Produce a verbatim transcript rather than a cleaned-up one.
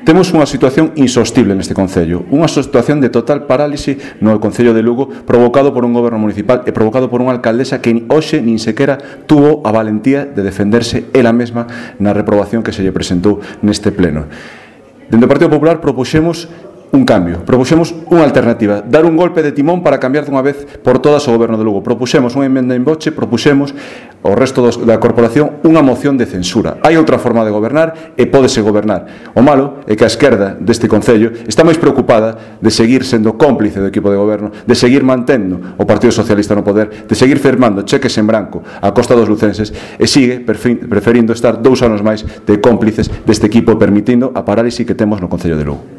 Temos unha situación insostible neste Concello, unha situación de total parálise no Concello de Lugo, provocado por un goberno municipal e provocado por unha alcaldesa que hoxe nin sequera tuvo a valentía de defenderse ela mesma na reprobación que se lle presentou neste pleno. Dende o Partido Popular propuxemos un cambio, propuxemos unha alternativa, dar un golpe de timón para cambiar dunha vez por todas o goberno de Lugo. Propuxemos unha emenda en boche, propuxemos ao resto dos, da corporación unha moción de censura. Hai outra forma de gobernar e pódese gobernar. O malo é que a esquerda deste Concello está máis preocupada de seguir sendo cómplice do equipo de goberno, de seguir mantendo o Partido Socialista no poder, de seguir firmando cheques en branco a costa dos lucenses e sigue preferindo estar dous anos máis de cómplices deste equipo, permitindo a parálise que temos no Concello de Lugo.